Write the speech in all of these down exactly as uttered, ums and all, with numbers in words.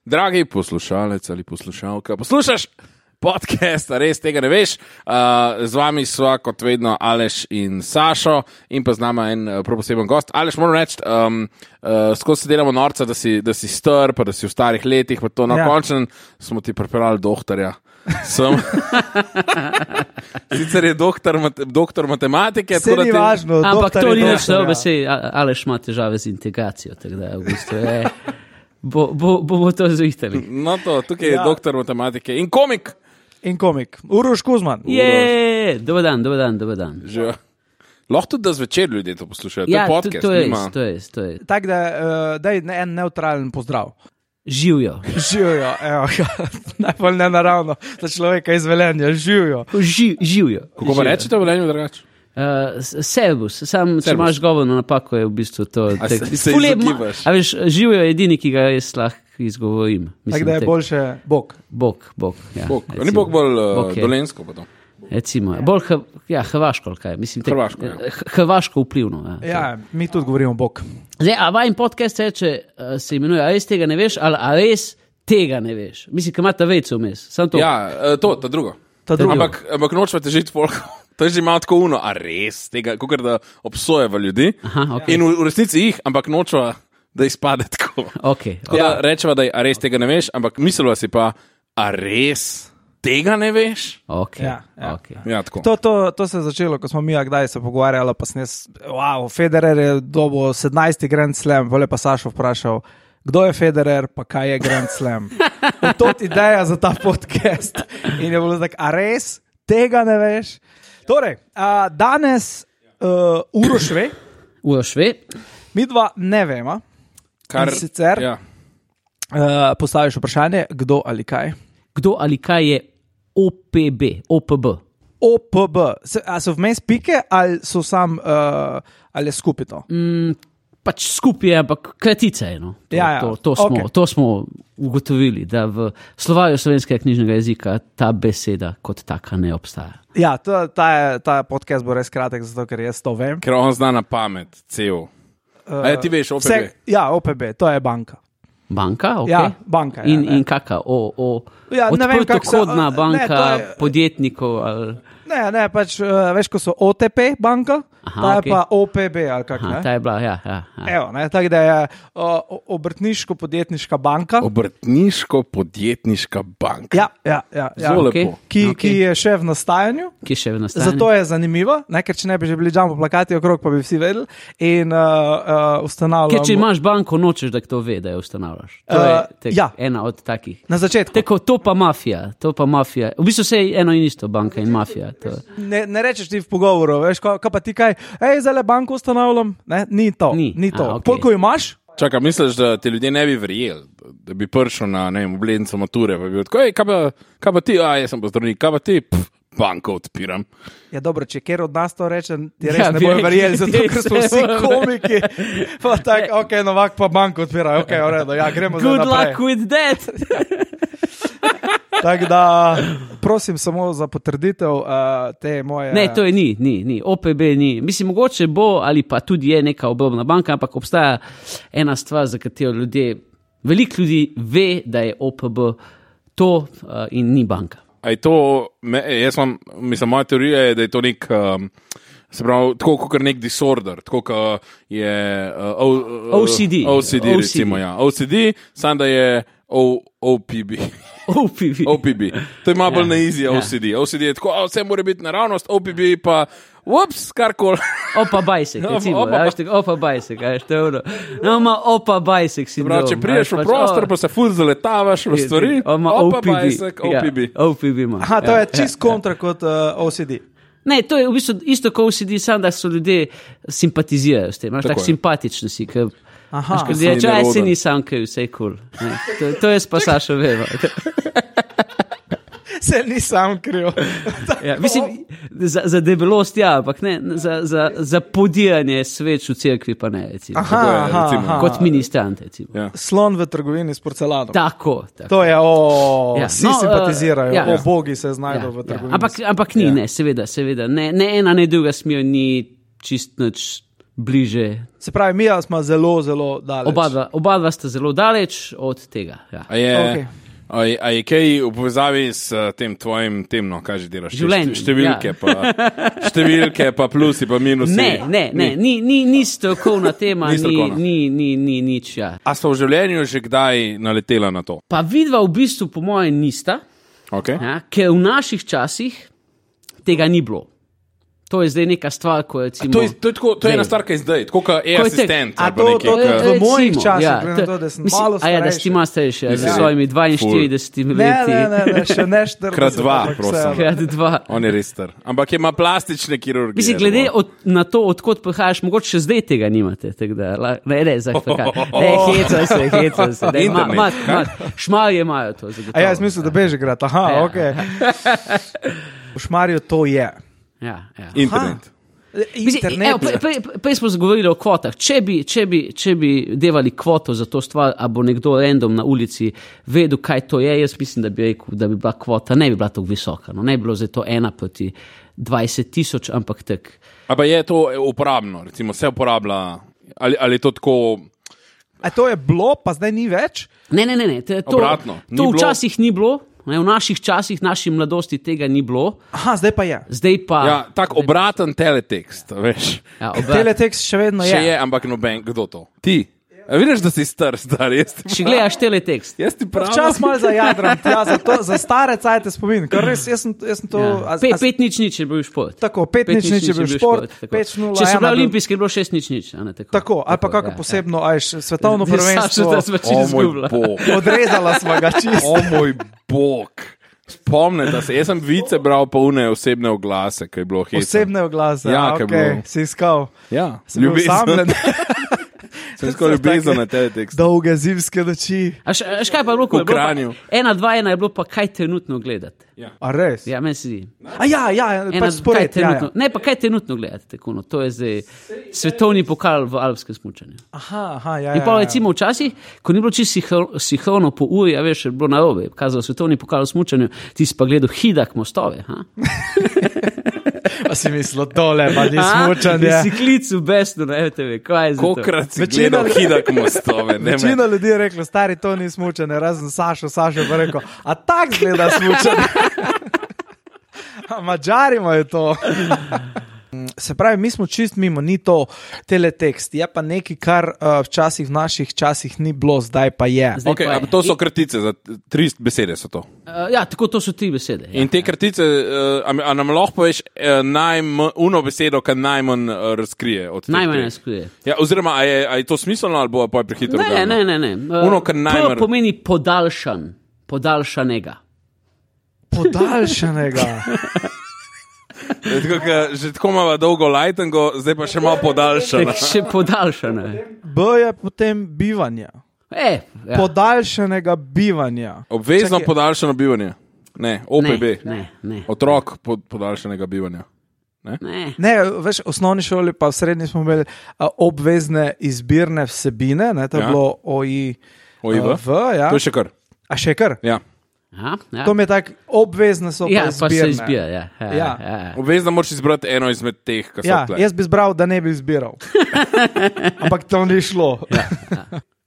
Dragi poslušalec ali poslušalka, poslušaš podcast, res tega ne veš. Uh, z vami sva kot vedno Aleš in Sašo in pa z nama en uh, prav poseben gost. Aleš, moram reči, um, uh, skozi se delamo norca, da si, da si star, pa da si v starih letih, pa to na ja. končen smo ti pripeljali doktorja. Sem. Sicer je doktor, doktor matematike. Vse ni važno. Ampak to ni nič dobro, sej Aleš ima težave z integracijo, tako da v bistvu je... Bo, bo, bomo to zvihtali. No to, tukaj je ja. doktor matematike in komik. In komik. Uroš Kuzman. Je, dober dan, dober dan, dober dan. Že. Lahko tudi, da zvečer ljudje to poslušajo. Ja, to je podcast. To, to, je, to je, to je. Tako da, uh, daj en neutralen pozdrav. Živijo. Živijo, evo, najbolj nenaravno za človeka iz Velenja. Živijo. Ži, živijo. Kako pa rečete v Velenju drugače? Uh, servus, sam če imaš govorno napako, je v bistvu to. A se, se izogibaš? A veš, živijo je edini, ki ga jaz lahko izgovorim. Tako da je tek. Boljše Bog. Bog, Bog, ja. Bog. Ni Bog bolj uh, dolensko pa to? Recimo, bolj h, ja, hrvaško, kaj? Mislim, tek, hrvaško, ja. Hrvaško vplivno. Ja, ja, mi tudi govorimo Bog. Zdaj, a vajen podcast reče, uh, se imenuje, a res tega ne veš, ali a res tega ne veš? Mislim, kaj ima ta vejco vmes, samo to. Ja, uh, to, ta drugo. Ta drugo. Ampak, ampak nočva težiti folko. To je že malo tako uno, a res, tega, kakor da obsojeva ljudi. Aha, okay. In v, v resnici jih, ampak nočva, da izpade tako. Okay. Tako Ja. da rečeva, da je, a res tega ne veš, ampak mislila si pa, a res tega ne veš? Okay. Ja, ja. Okay. Ja, tako. To, to, to se je začelo, ko smo mi, kdaj se pogovarjali, pa sem jaz, wow, Federer je dobil sedemnajsti Grand Slam, vole pa Sašo vprašal, kdo je Federer, pa kaj je Grand Slam. In to je ideja za ta podcast. In je bilo tako, a res tega ne veš? Torej, uh, danes uh, Uroš ve, Uroš ve, mi dva ne vemo. Kar, in sicer ja. uh, postaviš vprašanje, kdo ali kaj. kdo ali kaj je O P B, O P B. O P B, se, a so vmes pike ali so sam, uh, ali je skupaj to? Mm, pač skupaj je, ampak kratica je. No. To, Ja, ja. to, to, smo, Okay. to smo ugotovili, da v slovarju slovenskega knjižnega jezika ta beseda kot taka ne obstaja. Ja, to, ta, je, ta podcast bo res kratek, zato ker jaz to vem. Ker on zna na pamet, cel. Uh, A ja, ti veš, O P B? vse, ja, O P B, to je banka. Banka, ok. Ja, banka. Ja, in, ne. in kaka? O, o, Ja, ne vem, kako se- odprtokodna ne, banka to je- podjetnikov ali... Ne, ne, pač uh, veš, ko so O T P banka, Aha, ta je okej. pa O P B ali kak, Aha, ne? ta je bila, ja, ja. ja. Evo, ne, tako da je uh, obrtniško-podjetniška banka. Obrtniško-podjetniška banka. Ja, ja, ja, ja. Zelo okej. lepo. Ki, Okej. ki je še v nastajanju. Ki je še v nastajanju. Zato je zanimivo, ne, ker če ne bi že bili jumbo plakati okrog, pa bi vsi vedeli. In uh, uh, ustanavljamo. Ker če imaš banko, nočeš, da kdo ve, da jo ustanavljaš. To je Uh, tek, ja. ena od takih. Na začetku. Tako, to pa mafija, to pa mafija. V bistvu se je eno in isto, banka in mafija. To. Ne, ne rečeš ti v pogovoru, veš, kaj, kaj pa ti kaj, hej, zdaj le banko ustanavljam. Ne, ni to. Ni. ni to. A, okej. Koliko imaš? Čakaj, misliš, da ti ljudje ne bi verjeli, da bi prišel na, ne vem, obletnico mature, pa bi bil tako, ej, kaj pa, kaj pa ti, a, jaz sem pa zdravnik, kaj pa ti, pff, banko odpiram. Ja, dobro, če kjer od nas to reče, ti res Ja, ja, ne bi bojo rekli, verjeli, zato ker smo vsi res. komiki. Pa tako, ok, Novak pa banko odpira, ok, v redu, ja, gremo Good zdaj luck naprej. with that! Tako da, prosim samo za potrditev uh, te moje... Ne, to je ni, ni, ni. O P B ni. Mislim, mogoče bo ali pa tudi je neka obrobna banka, ampak obstaja ena stvar, za katero ljudje, veliko ljudi ve, da je O P B to uh, in ni banka. A je to, me, jaz imam, mislim, moja teorija je, da je to nek, um, se pravi, tako kot nek disorder, tako kot je uh, o, uh, O C D. O C D, O C D. recimo, ja. O C D, sam da je o, OPB. O P B. O P B. To je malo bolj Ja, na easy ja. O C D. O C D je tako, a, vse mora biti naravnost, O P B pa, ups, karkoli. Opa bajsek, Opa, recimo. opa, Ja, veš, tako, opa bajsek, ja, veš, to je ono. No, ima opa bajsek sindrom. Prav, če priješ v prostor, pa se ful zaletavaš v stvari, Ima opa O P B. bajsek, O P B. Ja, O P B ima. Aha, to ja, je čist kontra kot uh, O C D. Ne, to je v bistvu isto kot O C D, samo da so ljudje simpatizirajo s tem. Imaš Tako tako je. simpatični si, ker Aha, Ker si je, če aj neroden. se ni sam, kaj vse je kul. Cool. To, to je pa Sašo veva. se ni sam kriv. Ja, mislim, za, za debelost ja, ampak ne, za, za, za podiranje sveč v cerkvi pa ne, recimo. Aha, Tako je, aha, recimo. aha. Kot ministrant, recimo. Ja. Slon v trgovini s porcelanom. Tako, tako. To je, o, Ja, vsi no, simpatizirajo, uh, ja. o bogi se Ja, znajdejo v ja. trgovini. Ampak, ampak ni, Ja. ne, seveda, seveda. Ne, ne ena, ne druga smer ni čist nič bliže. Se pravi, mi smo zelo, zelo daleč. Oba dva, oba dva sta zelo daleč od tega. Ja. A je, Okay. a, je, a je kaj v povezavi s uh, tem tvojim temno, kaj že delaš? Življenjem, Številke, ja. pa, številke pa plusi, pa minusi. Ne, ne, ne, ni, ni, ni strokovna tema, Ni ni, strokovna. ni, ni, ni nič. Ja. A sta v življenju že kdaj naletela na to? Pa vidva v bistvu, po mojem, nista, Okay. ja, ker v naših časih tega ni bilo. To je zdaj neka stvar, ko je recimo... To je, to je, tako, to je Zdaj. ena stvar, kaj je zdaj, tako kot je Ko je asistent. A ali pa to- nekaj, to- ke- to- v mojih recimo, časih, ja, glede na to, da sem mislim, malo a ja, da si starejši. malo starejši, ja, z Ja. svojimi dvainštiridesetimi Ne, leti. ne, ne, ne, še ne štirideset. Krat dva, ampak prosim. vseeno. Krat dva. On je res star. Ampak ima plastične kirurgije. Mislim, glede od, na to, odkot prihajaš, mogoče še zdaj tega nimate. Da, la, ne, ne, zakaj. Ne, heca se, heca se. Ne, ma, ma, ma, šmarje imajo to. Zagotovo. A ja, jaz mislim, da Bežigrad. Aha, Ja. ok. V Šmarju to je. Ja, ja. Internet. Mislim, Internet. evo, prej- prej- Prej smo govorili o kvotah. Če bi, če, bi, če bi devali kvoto za to stvar, a bo nekdo random na ulici vedel, kaj to je, jaz mislim, da bi rekel, da bi bila kvota, ne bi bila tako visoka. No. Ne bi bilo zdaj to ena proti dvajset tisoč, ampak tak. Ampak je to uporabno, recimo se uporablja, ali, ali je to tako. A to je bilo, pa zdaj ni več? Ne, ne, ne. ne. To, Obratno, ni to bilo. včasih ni bilo. Ne, v naših časih, naši mladosti tega ni bilo, Aha, zdaj pa je. zdaj pa. Ja, tak obraten teletekst, veš. Ja, obrat. Teletext še vedno Še je. je, ampak noben, kdo to? Ti. A vidiš, da si star, star, jaz ti Če gledaš teletekst. Jaz ti pravim. Včasih malo za jadram, ja, za, to, za stare cajte spomin. Ker res, jaz sem, jaz sem to... Ja. a- Pe, a- pet nič nič je bil šport. Tako, pet nič nič je bil šport, tako. pet nula Če so ena bili bil- olimpijski, je bilo šest nič nič. a ne, Tako, Tako, ali pa kako ja, posebno, ajš, svetovno Ja, prvenstvo. Saša, da smo O čisto moj izgubila. bog. Odrezala smo ga čisto. O moj bog. Spomnite se, jaz sem vice bral pa une osebne oglase, kaj je bilo hecno. Osebne oglase, Ja, ja, kaj ok, bilo. si iskal. Ja, Si bil osamljen. Sem skoro ljubezen na teletekst. Dolge zimske noči. A š- a škaj pa je bilo, ko je V bilo pa- Kranju. ena, dva, ena je bilo pa kaj trenutno gledati. A res? Ja, meni se zdi. A ja, ja, Ena, pač kaj spored, ja, trenutno, ja. Ne, pa kaj trenutno gledati. Tako, no, to je zdaj svetovni pokal v alpskem smučanju. Aha, aha, ja, In ja, pa ja. recimo včasih, ko ni bilo čisto sinhrono po uri, a veš, je bilo narobe, kazal svetovni pokal v smučanju, ti si pa gledal hidak mostove. Ha? Pa si mislil, tole pa ni A? smučanje. In si klical besno na R T V, kaj je za to? Kokrat si Večina- gledal hidak mostove, ne Večina me. ljudi je rekla, stari to ni smučanje, razen Sašo, Sašo pa rekel, a tak zgleda smučanje. A Madžari imajo to. Se pravi, mi smo čist mimo, ni to teletekst, je pa nekaj, kar uh, včasih v naših časih ni bilo, zdaj pa je. Zdaj Okay, pa je. ampak to so kratice, za tri besede so to. Uh, ja, tako to so tri besede. Ja. In te kratice, uh, a, a nam lahko poveš uh, najmanj, uno besedo, ki najmanj uh, razkrije od teh Najmanj treh? ne skrije. Ja, oziroma, a je, a je to smiselno ali bo pa prehitro? Ne, ne, ne. ne. Uh, Uno, kar najmanj- P pomeni podaljšan, podaljšanega. Podaljšanega. Je Tako, ka, že tako imamo dolgo lajtengo, zdaj pa še malo podaljšano. Tek še podaljšane. B je potem bivanje. E, ja. Podaljšanega bivanja. Obvezno Čakaj. podaljšano bivanje. Ne, O P B. Ne, ne, ne. Otrok pod, podaljšanega bivanja. ne. Ne, veš, v osnovni šoli pa v srednji smo imeli a, obvezne izbirne vsebine, ne, to je Ja. bilo O I O I V? V, ja. To je še kar. A še kar? Ja. Aha, ja. To mi je tako, obvezne so Ja, pa pa se izbirne. izbira. Ja, ja, Ja. ja. ja. Obvezno moraš izbrati eno izmed teh, ki so Ja, tle. jaz bi izbral, da ne bi izbiral. Ampak to ni šlo. Ja,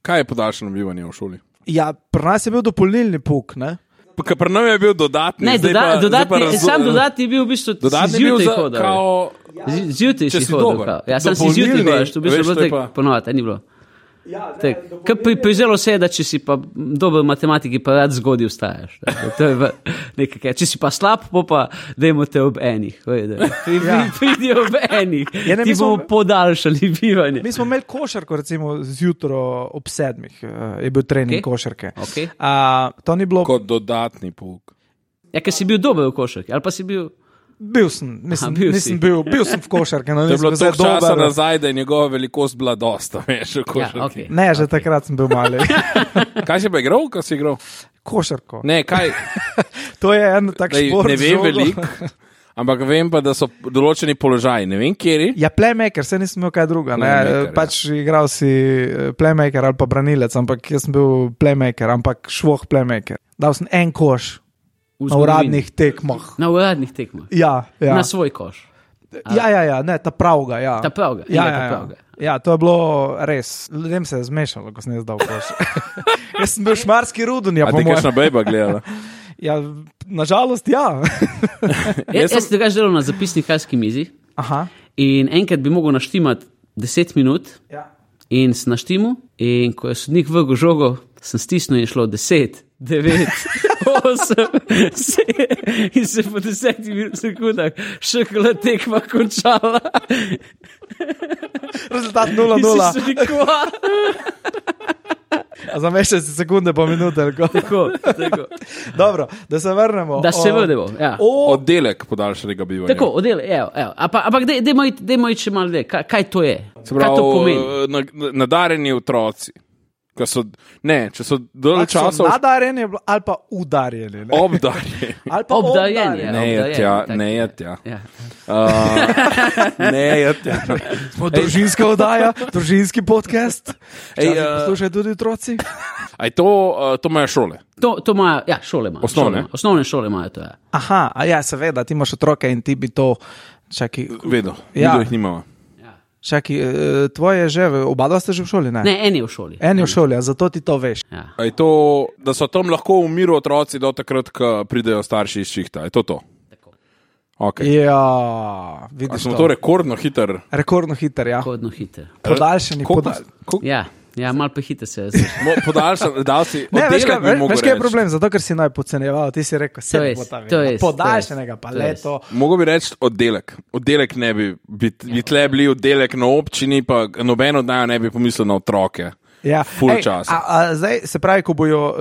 Kaj je podaljšano bivanje v šoli? ja pri nas je bil dopolnilni puk, ne? Ker pri nam je bil dodatni. Ne, zdaj doda, pa, dodatni, zdaj pa razu- sam dodatni je bil v bistvu Dodatni si je bil zjutraj za, hodil. kao, Z- Zjutraj če si si hodil. dober. kao. Ja, sam si Dopolnilni, zjutraj hodiš, to bi veš, bilo to je tako pa- ponovati, ni bilo. Kaj pri, prizelo se je, da če si pa dober v matematiki, pa rad zgodaj vstajaš. tako. To je v- nekaj, kaj. Če si pa slab, po pa dajmo te ob enih. veš, Pri, Ja. Pridi ob enih, Ja, ne, ti mi smo- bomo podaljšali bivanje. Mi smo imeli košarko, recimo zjutraj ob sedmih, eh, je bil trening Okej. košarke. Okej. A, to ni bilo, kot dodatni pouk. Ja, ker si bil dober v košarki, ali pa si bil... bil sem, mislim, Aha, bil si. nisem bil, bil sem v košarke, no To je bilo nisem bil toliko zdaj časa dober. nazaj, da je njegova velikost bila dosta, veš, v Ja, košarki. okay. Ne, že takrat sem bil mali. Kaj si pa igral, kaj si igral? Košarko. Ne, kaj, To je en tak Dej, šport. ne z vem žogo. veliko, ampak vem pa, da so določeni položaji, ne vem kjeri. Ja, playmaker, se nisem imel kaj druga. Ne? Playmaker, ja. Pač igral si eh, playmaker ali pa branilec, ampak jaz sem bil playmaker, ampak švoh playmaker. Dal sem en koš V na zgodovini. uradnih tekmah. Na uradnih tekmah. Ja, ja. Na svoj koš. ja, ja, ja, ne, ta pravga. Ja. Ta pravga. Ja, Ja, ja, ta ja. pravga. Ja, to je bilo res. Ljudem se je zmešalo, ko sem jaz dal koš. Jaz sem bil šmarski rudunja, A po ti mojem. kakšna bejba gledala? Ja, nažalost, ja. Jaz sem drugače delal na zapisnikarski mizi Aha. in enkrat bi mogel naštimati deset minut Ja. in sem naštimal in ko je sodnik vrgel žogo, sem stisnil in je šlo deset, devet, osem, sedem in se po desetih sekundah še kla tekma končala. Rezultat nula nula. In si sodnik, kva? A za mešče si sekunde po minute. Tako. Tako, tako. Dobro, da se vrnemo. Da se O- vrnemo, ja. O, Oddelek podaljšanega bivanja. Tako, odel, evo, evo. Ampak, ampak dajmo iti, dajmo iti še malo dlje. Kaj, kaj to je? Se Kaj to pomeni? pravi, na- nadarjeni otroci. Ko so, ne, če so dolgo so časa nadarjeni ali pa udarjeni. Ne? obdarjeni. Ali pa Obdarjeni, obdarjeni. ja. Ne je obdarjeni, tja, tako, ne je ja. tja. Ja. Uh, ne je tja. Smo družinska oddaja, družinski podcast. Ej, Ej, uh, uh, poslušajo tudi otroci. Aj to, uh, to imajo šole. To, to imajo, ja, šole imajo. Osnovne? Šole, imajo. Osnovne šole imajo to, ja. Aha, a ja, seveda, ti imaš otroke in ti bi to. Čaki, Vedo, Ja. ja. jih nimamo. čaki, eh, tvoje že, oba dva ste že v šoli, ne? Ne, eni v šoli. Eni v šoli, a zato ti to veš. Ja. Aj to, da so tam lahko v miru otroci do takrat, ko pridejo starši iz šihta. Je to to? Tako. Okay. Ja, A vidiš. smo To. to rekordno hiter. Rekordno hiter, ja. Kodno hiter. Podaljšani, Koliko- podal... koliko- Ja, ja malo prehiter se je zdaj. Mo- Podaljšan, dal si Ne, veš, kaj, oddelek, bi veš, mogel veš, kaj je reči. problem? Zato, ker si naj podcenjeval, ti si rekel, se To je- bo ta to je- vedel. Podaljšanega, pa to je- leto. Mogoče bi reči oddelek. Oddelek ne bi, bi, bi tle bili oddelek na občini, pa noben od naju ne bi pomislil na otroke. Ja. Ful Ej, časa. A, a zdaj se pravi, ko bojo, uh,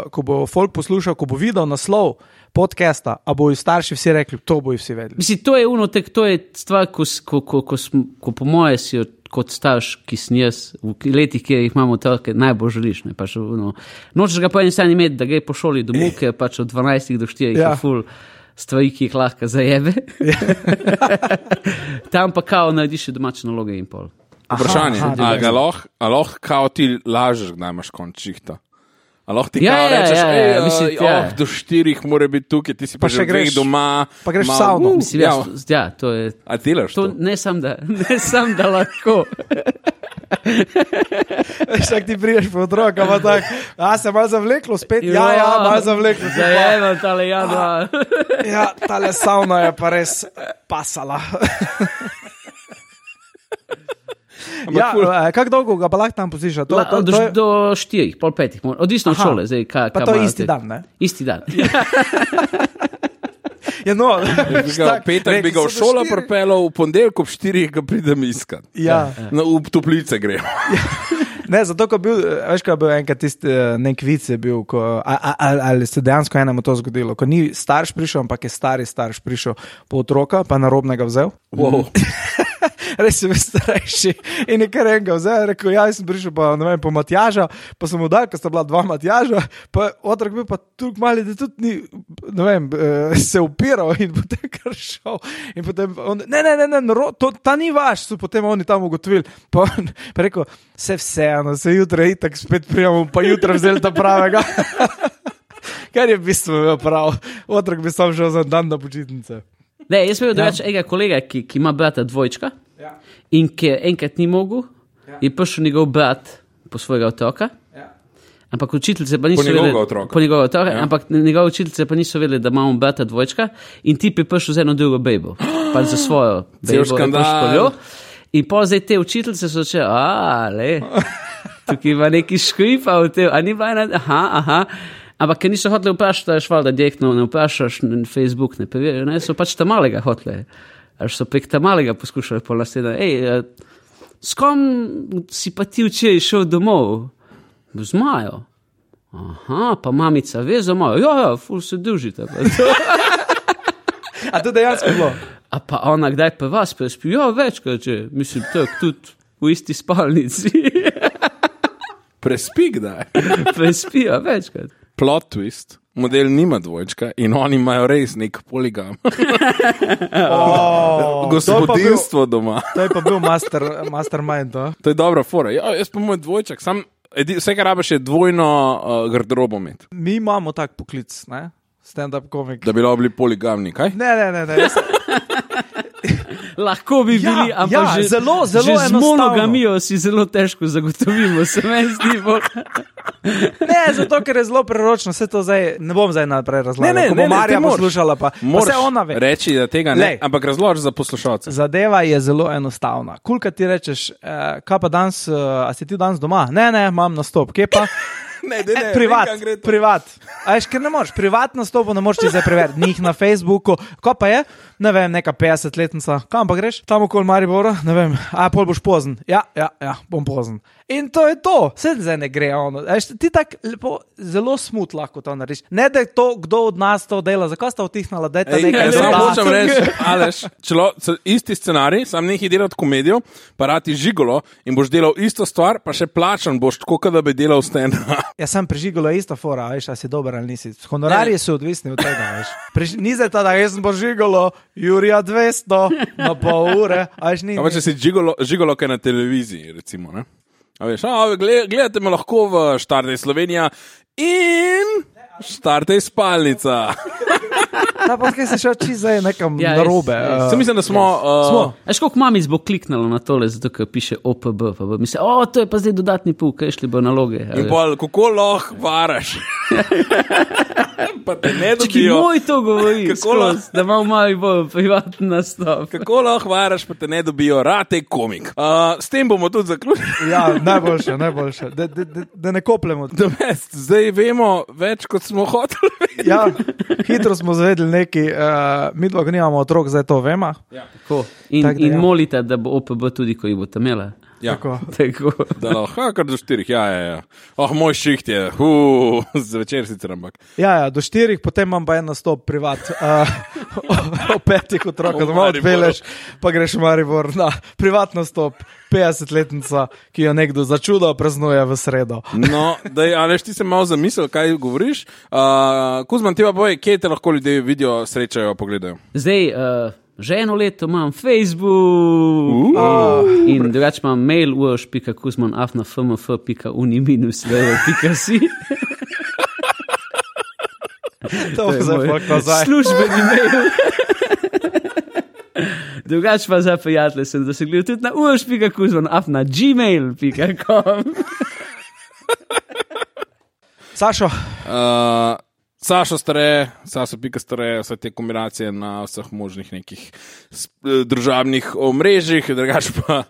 ko bo folk poslušal, ko bo videl naslov podcasta, a bojo starši vsi rekli, to bojo vsi vedeli. Mislim, to je uno, tek, to je stvar, ko, s- ko, ko, ko, sm, ko po moje si jo kot starš, ki sem jaz, v letih, kjer jih imamo otroke, najbolj želiš. Ne, pač, uno, nočeš ga po eni strani imeti, da gre po šoli domov, ker pač od dvanajstih do štirih Ja. je ful stvari, ki jih lahko zajebe. Tam pa kao narediš še domače naloge in pol. Vprašanje, aha, a ga lahko, a lahko kao ti lažeš, kdaj imaš konč šihta? A lahko ti Ja, kao ja, rečeš, ja, ej, ja, a, mislim, ja. oh, do štirih mora biti tukaj, ti si pa, Pa že še greš greš- doma. pa greš v malo- savno. Uh, Mislim, ja, ja, ja, to je. a delaš To to? ne sam, da, ne sam, da lahko. Veš, ak ti priješ po otroka, pa tak, a se malo zavleklo spet, ja, ja, malo zavleklo. ti pa- Zajemam tale jadva. Ja, tale savna je pa res pasala. Ja, eh, kako dolgo ga pa lahko tam posiša? To, La, to, do, to je, do štirih, pol petih, mora- odvisno od Aha. šole. Zdaj, kaj, pa kaj to je imajo isti te- dan, ne? Isti dan. Ja, no, Bi ga, tak, petek bi rekli ga v so do šolo štirih. pripeljal, v ponedeljek ob štirih ga pridem iskat. Ja. No, v toplice gremo. Ne, zato, ko bil, veš, ko je bil enkrat tisti eh, nek vic je bil, ko, a, a, a, ali se dejansko enemu to zgodilo, ko ni starš prišel, ampak je stari starš prišel po otroka, pa narobnega vzel. Wow. Res je bil starejši in je kar enega vzel, rekel, ja, jaz sem prišel pa, ne vem, po Matjaža, pa sem mu dal, ker sta bila dva Matjaža, pa otrok bil pa tukaj mali, da tudi ni, ne vem, eh, se upiral in potem kar šel. In potem on, ne, ne, ne, ne, naro, to, ta ni vaš, so potem oni tam ugotovili. Pa on pa rekel, se vseeno, se jutra itak spet prijemo, pa jutra vzeli ta pravega. Kar je v bistvu imel prav, otrok bi sam šel za dan na počitnice. Ne, jaz sem imel drugače enega kolega, ki, ki ima brata dvojčka Ja. in ki enkrat ni mogel, je prišel njegov brat po svojega otroka. Ja. Ampak učiteljice pa niso Po njegovega vedeli, otroka. po njegovega otroka, Ja. ampak njegove učiteljice pa niso vedeli, da imamo brata dvojčka in ti je prišel z eno drugo bejbo, pa za svojo bejbo. je škandal. prišel jo. In pa zdaj te učiteljice so začele, a, le, tukaj ima neki škripa v tem, a ni bila ena, aha, aha. Ampak, ker niso hoteli vprašati, da je šval, da direktno ne vprašaš na Facebook, ne preverijo, ne, so pač tam malega hoteli. Až so prek tam malega poskušali polasiti, ej, eh, s kom si pa ti včeraj šel domov? Z Majo. Aha, pa mamica ve za Majo. Ja, ja, ful se družite. Pa to. A to dejansko bilo? A pa ona kdaj pa vas prespi? Ja, večkrat, če mislim, tak, tudi v isti spalnici. Prespi kdaj. Prespijo večkrat. Plot twist. Model nima dvojčka in oni imajo res nek poligam. Oh, Gospodinstvo doma. To je pa bil master, mastermind. To. To je dobra fora. Ja, jaz pa moj dvojček, sam, edi, vse, kar rabiš, je dvojno uh, garderobo imeti. Mi imamo tak poklic, ne? Stand-up komik. Da bi lahko bili poligamni, kaj? Ne, ne, ne. ne. Jaz, Lahko bi Ja, bili, ampak ja, že, zelo, zelo že z enostavno. monogamijo si zelo težko zagotovimo, se meni zdi bolj. Ne, zato ker je zelo preročno, vse to zdaj ne bom zdaj naprej razlagal. Ne, ne, Ko ne, bo ne, Marja ti moraš. poslušala, pa, pa Moraš vse ona ve. reči, da tega ne, Lej. ampak razloži za poslušalce. Zadeva je zelo enostavna. Kulka ti rečeš, eh, kaj pa danes, eh, a si ti danes doma? Ne, ne, imam nastop, kje pa? Ne, ne, E, privat, privat. A veš, ker ne moreš, privat nastopu ne moreš ti zdaj preveriti, njih na Facebooku. Ko pa je, ne vem, neka petdesetletnica, kam pa greš? Tam okoli Maribora, ne vem, a pol boš pozen. Ja, ja, ja, bom pozen. In to je to, vse zdaj ne gre ono. Veš, ti tako lepo, zelo smut lahko to narediš. Ne da je to, kdo od nas to dela, zakaj sta vtihnala, da je ta Ej, nekaj jaz samo zelo. hočem reči, Aleš, čelo, c- isti scenarij, sam nekaj delati komedijo, pa rati žigolo in boš delal isto stvar, pa še plačan boš tako, kot da bi delal stand-up. Jaz sem prežigala ista fora, veš, a si dober ali nisi. Honorarji so odvisni od tega, veš. Prež... Ni zdaj ta, da jaz sem požigalo Jurija dvesto na pol ure, a veš, ni. Ampak če si žigolo, žigolo kaj na televiziji, recimo, ne? A veš, a, gled, gledate me lahko v Štartej Slovenija in Štartej Spalnica. Ta podcast je šel čisto zdaj nekam Ja, ja, res, narobe. res. uh, Sem mislim, da smo... Smo. Uh, Veš, koliko mamic bo kliknalo na tole, zato ker piše O P B, pa bo misli, o, to je pa zdaj dodatni pul, kaj šli bo naloge. in pol, kako lahko varaš? Pa te ne Čaki, dobijo. moj to govori, Kako skozi, lahko- da ima malo bolj privatni nastop. Kako lahko varaš, pa te ne dobijo, rate komik. Uh, s tem bomo tudi zaključili. Ja, najboljše, najboljše. Da, da, da, da ne kopljemo. The best. Zdaj vemo več, kot smo hoteli vedeti. Ja, hitro smo zvedeli nekaj, uh, mi dva, ko nimamo otrok, zdaj to vemo. Tako. In, Tak da in ja. molite, da bo O P B tudi, ko jih boste imeli. Ja. Tako. Tako. Da lahko, kar do štirih, ja, ja, ja. Oh, moj šiht je, uh, zvečer sicer, ampak. Ja, ja, do štirih, potem imam pa en nastop privat. Uh, o, o petih otrokah, V doma Mariboru. odpeleš, pa greš v Maribor na privat nastop, petdesetletnica, ki jo nekdo za čudo praznuje v sredo. No, daj, Aleš, ti se malo zamisel, kaj govoriš. Uh, Kuzman, ti pa boj, kje te lahko ljudje vidijo, srečajo, pogledajo. Zdaj, uh, že eno leto imam Facebook uh. in drugače imam mail uoš pika kuzman afna fmf pika uni minus vejo pika si. To bo zdaj fakt nazaj. Službeni mail. Drugače pa za prijatelje sem dosegljiv tudi na uoš pika kuzman afna gmail pika com. Sašo, Uh, Sašo stare, Sašo pika stare, vse te kombinacije na vseh možnih nekih sp- družabnih omrežjih, drugače pa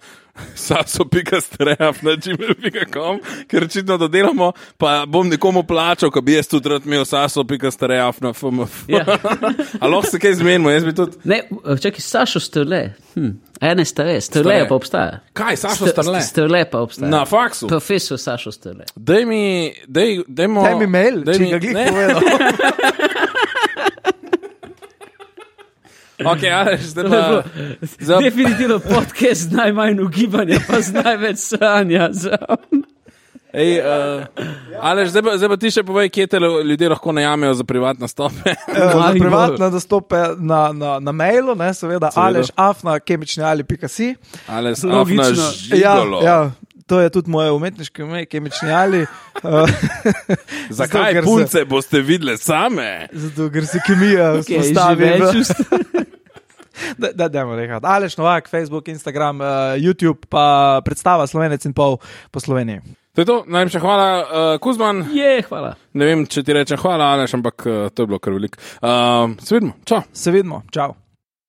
Sašo pika stare na gmail pika com, ker očitno dodelamo, pa bom nekomu plačal, ko bi jaz tudi rad imel Sašo pika stare na fmf. Ja. A lahko se kaj zmenimo, jaz bi tudi... Ne, čakaj, Sašo Strle. Hm. A ne stare, Strle Strle. pa obstaja. Kaj, Sašo Strle? Strle pa obstaja. Na faksu? Profesor Sašo Strle. Daj mi, daj, dajmo... daj mi mail, daj če mi- ga glih ne. povedal. Ok, Aleš, zdaj To je pa... bilo Za- definitivno podcast z najmanj ugibanja, pa z največ sranja. Ej, uh, Aleš, zdaj, pa- zdaj pa ti še povej, kje te lo- ljudje lahko najamejo za privatne stope. Eh, Za Maribor. privatne dostope na, na, na mailu, ne, seveda, Seveda. aleš afna kemični ali pika si. Aleš, Logično. afna Ja, žigolo. ja, to je tudi moje umetniško ime, kemični ali. Uh, Zakaj ker se- punce boste videle same? Zato, ker se kemija Okay, vzpostavi. v- več Da, da, dajmo nekaj. Aleš Novak, Facebook, Instagram, uh, YouTube, pa predstava Slovenec in pol po Sloveniji. To je to, najlepša hvala, uh, Kuzman. je, hvala. Ne vem, če ti rečem hvala, Aleš, ampak uh, to je bilo kar veliko. Uh, se vidimo, čau. Se vidimo, čau.